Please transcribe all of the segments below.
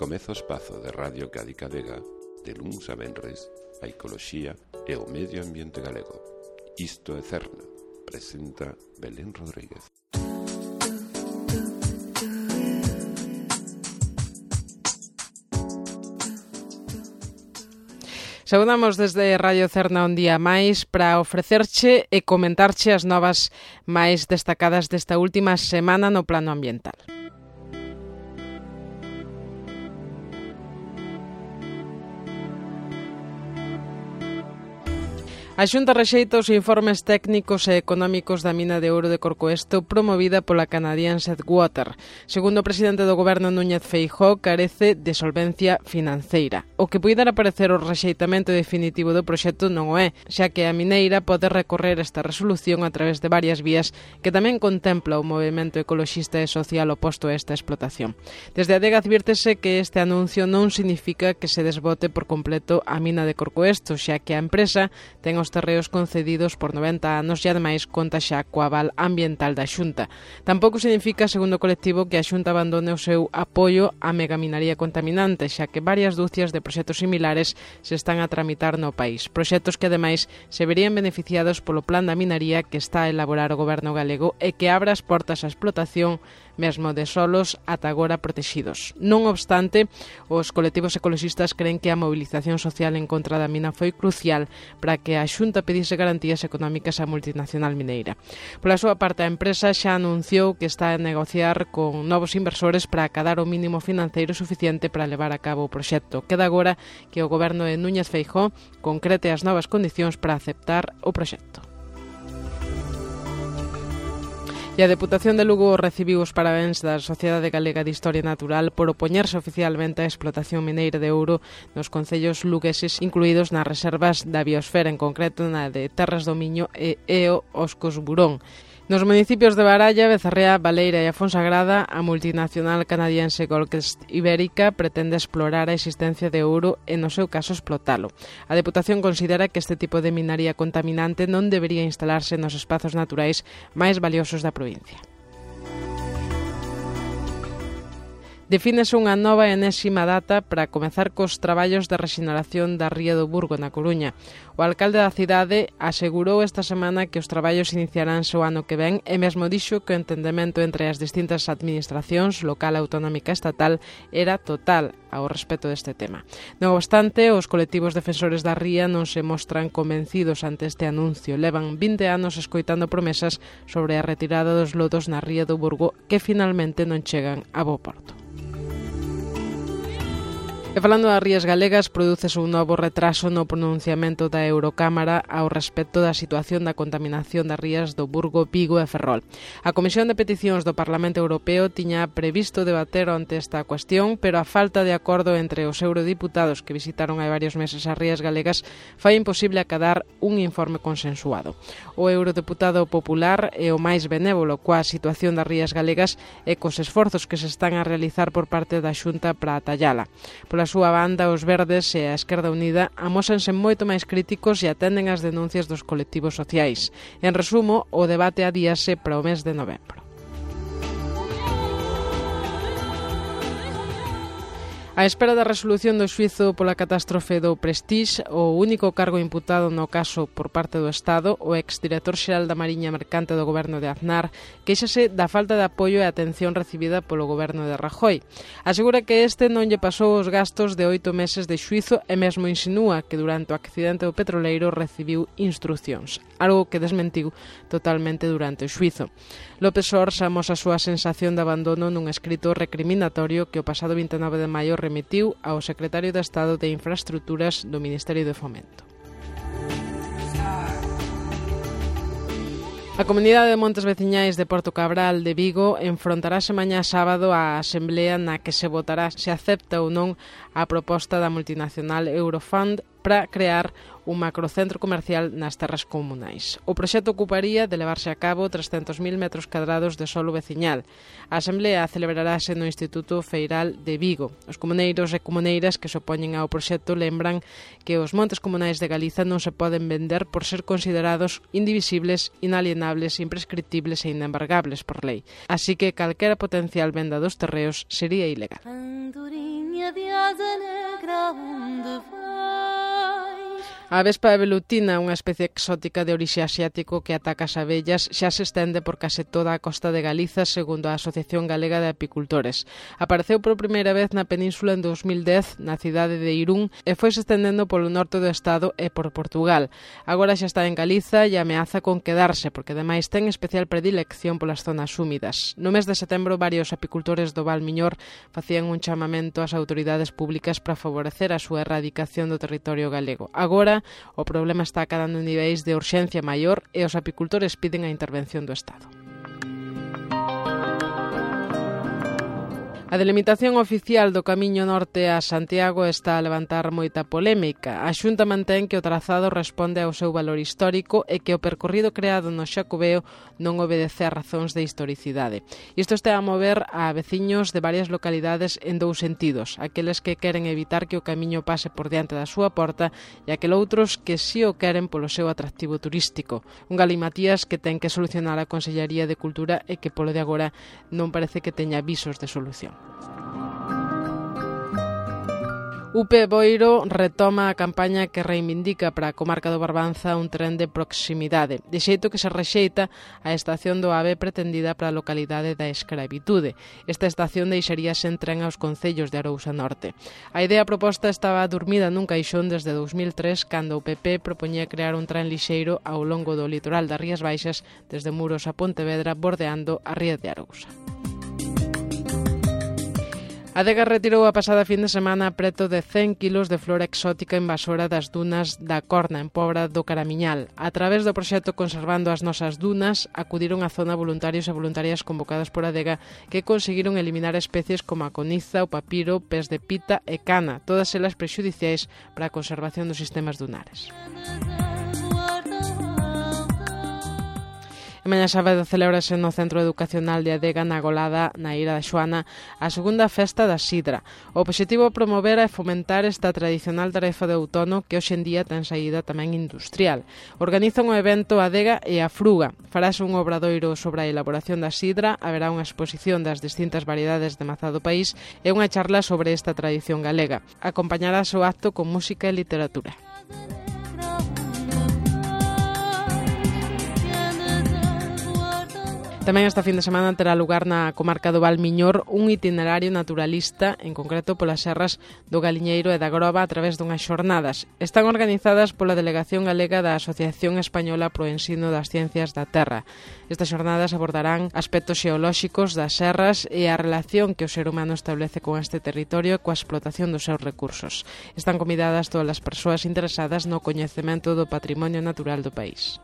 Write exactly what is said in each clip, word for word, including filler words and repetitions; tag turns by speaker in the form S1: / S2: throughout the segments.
S1: Comeza o espazo de Radio Cádica Vega de luns a venres, a ecoloxía e o medio ambiente galego. Isto é Cerna, presenta Belén Rodríguez.
S2: Saudamos desde Radio Cerna un día máis para ofrecerche e comentarche as novas máis destacadas desta última semana no plano ambiental. A Xunta rexeita os informes técnicos e económicos da mina de ouro de Corcoesto promovida pola Canadian Sedgwater. Segundo o presidente do goberno Núñez Feijóo, carece de solvencia financeira. O que puidera parecer o rexeitamento definitivo do proxecto non o é, xa que a mineira pode recorrer esta resolución a través de varias vías que tamén contempla o movemento ecoloxista e social oposto a esta explotación. Desde a Adega advírtese que este anuncio non significa que se desbote por completo a mina de Corcoesto, xa que a empresa ten os terreos concedidos por noventa anos e ademais conta xa co aval ambiental da Xunta. Tampouco significa, segundo o colectivo, que a Xunta abandone o seu apoio á megaminaría contaminante, xa que varias dúcias de proxectos similares se están a tramitar no país. Proxectos que ademais se verían beneficiados polo plan da minaría que está a elaborar o goberno galego e que abra as portas á explotación mesmo de solos ata agora protexidos. Non obstante, os colectivos ecoloxistas creen que a mobilización social en contra da mina foi crucial para que a Xunta pedise garantías económicas á multinacional mineira. Pola súa parte, a empresa xa anunciou que está a negociar con novos inversores para acadar o mínimo financeiro suficiente para levar a cabo o proxecto. Queda agora que o goberno de Núñez Feijóo concrete as novas condicións para aceptar o proxecto. E a Deputación de Lugo recibiu os parabéns da Sociedade Galega de Historia Natural por opoñerse oficialmente á explotación mineira de ouro nos concellos lugueses incluídos nas reservas da biosfera, en concreto na de Terras do Miño e Eo Oscos Burón. Nos municipios de Baralla, Becerrea, Baleira e a Fonsagrada, a multinacional canadiense Goldcrest Ibérica pretende explorar a existencia de ouro e, no seu caso, explotalo. A Deputación considera que este tipo de minaría contaminante non debería instalarse nos espazos naturais máis valiosos da provincia. Defínese unha nova e enésima data para comezar cos traballos de rexeneración da ría do Burgo, na Coruña. O alcalde da cidade asegurou esta semana que os traballos iniciaránse o ano que ven e mesmo dixo que o entendemento entre as distintas administracións, local, autonómica e estatal, era total ao respecto deste tema. Non obstante, os colectivos defensores da ría non se mostran convencidos ante este anuncio. Levan vinte anos escoitando promesas sobre a retirada dos lodos na ría do Burgo que finalmente non chegan a bo porto. E falando das rías galegas, prodúcese un novo retraso no pronunciamento da Eurocámara ao respecto da situación da contaminación das rías do Burgo, Vigo e Ferrol. A Comisión de Peticións do Parlamento Europeo tiña previsto debater ante esta cuestión, pero a falta de acordo entre os eurodiputados que visitaron hai varios meses as rías galegas fai imposible acadar un informe consensuado. O eurodeputado popular é o máis benévolo coa situación das rías galegas e cos esforzos que se están a realizar por parte da Xunta para atallala. Pola súa banda, os Verdes e a Esquerda Unida amósanse moito máis críticos e atenden as denuncias dos colectivos sociais. En resumo, o debate adíase para o mes de novembro. A espera da resolución do xuízo pola catástrofe do Prestige, o único cargo imputado no caso por parte do Estado, o exdirector xeral da Mariña Mercante do goberno de Aznar, queixase da falta de apoio e atención recibida polo goberno de Rajoy. Asegura que este non lle pasou os gastos de oito meses de xuízo e mesmo insinúa que durante o accidente do petroleiro recibiu instruccións, algo que desmentiu totalmente durante o xuízo. López Sors amosa a súa sensación de abandono nun escrito recriminatorio que o pasado vinte e nove de maio remitiu ao secretario de Estado de Infraestructuras do Ministerio de Fomento. A Comunidade de Montes Veciñais de Porto Cabral de Vigo enfrontarase mañá sábado á asemblea na que se votará se acepta ou non a proposta da multinacional Eurofund para crear un macrocentro comercial nas terras comunais. O proxecto ocuparía de levarse a cabo trescentos mil metros cadrados de solo veciñal. A asemblea celebrarase no Instituto Feiral de Vigo. Os comuneiros e comuneiras que se opoñen ao proxecto lembran que os montes comunais de Galiza non se poden vender por ser considerados indivisibles, inalienables, imprescriptibles e inembargables por lei. Así que calquera potencial venda dos terreos sería ilegal.
S3: minha de asa negra onde vai?
S2: A vespa velutina, unha especie exótica de orixe asiático que ataca as abellas, xa se estende por case toda a costa de Galiza, segundo a Asociación Galega de Apicultores. Apareceu por primeira vez na península en dos mil dez, na cidade de Irún, e foi se estendendo polo norte do estado e por Portugal. Agora xa está en Galiza e ameaza con quedarse, porque ademais ten especial predilección polas zonas húmidas. No mes de setembro, varios apicultores do Val Miñor facían un chamamento ás autoridades públicas para favorecer a súa erradicación do territorio galego. Agora, o problema está cadando en niveis de urxencia maior e os apicultores piden a intervención do Estado. A delimitación oficial do camiño norte a Santiago está a levantar moita polémica. A Xunta mantén que o trazado responde ao seu valor histórico e que o percorrido creado no Xacobeo non obedece a razóns de historicidade. Isto está a mover a veciños de varias localidades en dous sentidos, aqueles que queren evitar que o camiño pase por diante da súa porta e aqueloutros que si o queren polo seu atractivo turístico. Un galimatías que ten que solucionar a Consellería de Cultura e que polo de agora non parece que teña visos de solución. U P Boiro retoma a campaña que reivindica para a comarca do Barbanza un tren de proximidade, de xeito que se rexeita a estación do AVE pretendida para a localidade da Escravitude. Esta estación deixaría sen tren aos concellos de Arousa Norte. A idea proposta estaba dormida nun caixón desde dous mil tres, cando o P P propoñía crear un tren lixeiro ao longo do litoral das Rías Baixas, desde Muros a Pontevedra, bordeando a ría de Arousa. A Adega retirou a pasada fin de semana preto de cen quilos de flora exótica invasora das dunas da Corna, en Pobra do Caramiñal. A través do proxecto Conservando as Nosas Dunas, acudiron á zona voluntarios e voluntarias convocados por Adega que conseguiron eliminar especies como a coniza, o papiro, pés de pita e cana, todas elas prexudiciais para a conservación dos sistemas dunares. E mañá sábado celébrase no Centro Educacional de Adega, na Golada, na Ira da Xoana, a segunda festa da sidra. O obxectivo é promover e fomentar esta tradicional tarefa de outono que hoxe en día ten saída tamén industrial. Organizan o evento Adega e a Fruga. Farase un obradoiro sobre a elaboración da sidra, haberá unha exposición das distintas variedades de mazá do país e unha charla sobre esta tradición galega. Acompañarase o acto con música e literatura. Tamén esta fin de semana terá lugar na comarca do Val Miñor un itinerario naturalista, en concreto polas serras do Galiñeiro e da Groba a través dunhas xornadas. Están organizadas pola Delegación Galega da Asociación Española pro Ensino das Ciencias da Terra. Estas xornadas abordarán aspectos xeolóxicos das serras e a relación que o ser humano establece con este territorio e coa explotación dos seus recursos. Están convidadas todas as persoas interesadas no coñecemento do patrimonio natural do país.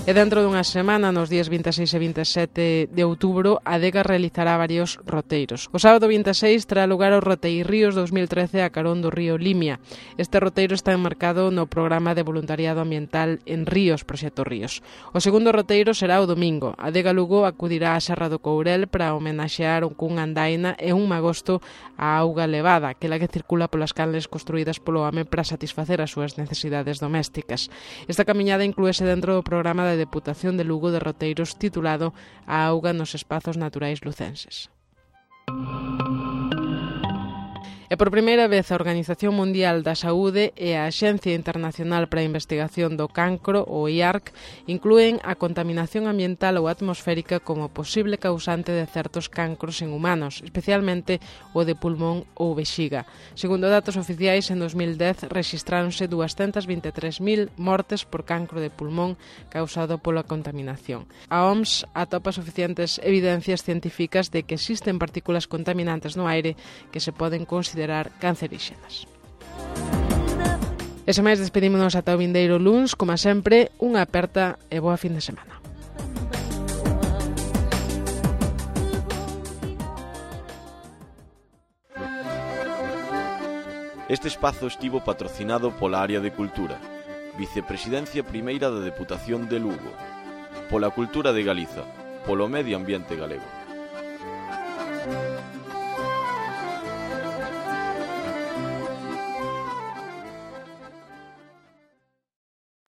S2: E dentro dunha semana, nos días vinte e seis e vinte e sete de outubro, a Adega realizará varios roteiros. O sábado vinte e seis terá lugar o Roteiríos dous mil trece a carón do río Limia. Este roteiro está enmarcado no programa de voluntariado ambiental en Ríos, Proxecto Ríos. O segundo roteiro será o domingo. A Adega Lugo acudirá á Serra do Courel para homenaxear cun andaina e un magosto a auga levada, aquela que circula polas canles construídas polo home para satisfacer as súas necesidades domésticas. Esta camiñada inclúese dentro do programa de a Deputación de Lugo de Roteiros titulado A auga nos espazos naturais lucenses. E por primeira vez a Organización Mundial da Saúde e a Axencia Internacional para a Investigación do Cancro, o I A R C, inclúen a contaminación ambiental ou atmosférica como posible causante de certos cancros en humanos, especialmente o de pulmón ou vexiga. Segundo datos oficiais, en dos mil dez rexistráronse doscientas vinte e tres mil mortes por cancro de pulmón causado pola contaminación. A O M S atopa suficientes evidencias científicas de que existen partículas contaminantes no aire que se poden considerar canceríxenas. E sen máis, despedímonos ata o vindeiro luns, como sempre, unha aperta e boa fin de semana.
S4: Este espazo estivo patrocinado pola Área de Cultura, Vicepresidencia Primeira da Deputación de Lugo, pola Cultura de Galiza, polo Medio Ambiente Galego.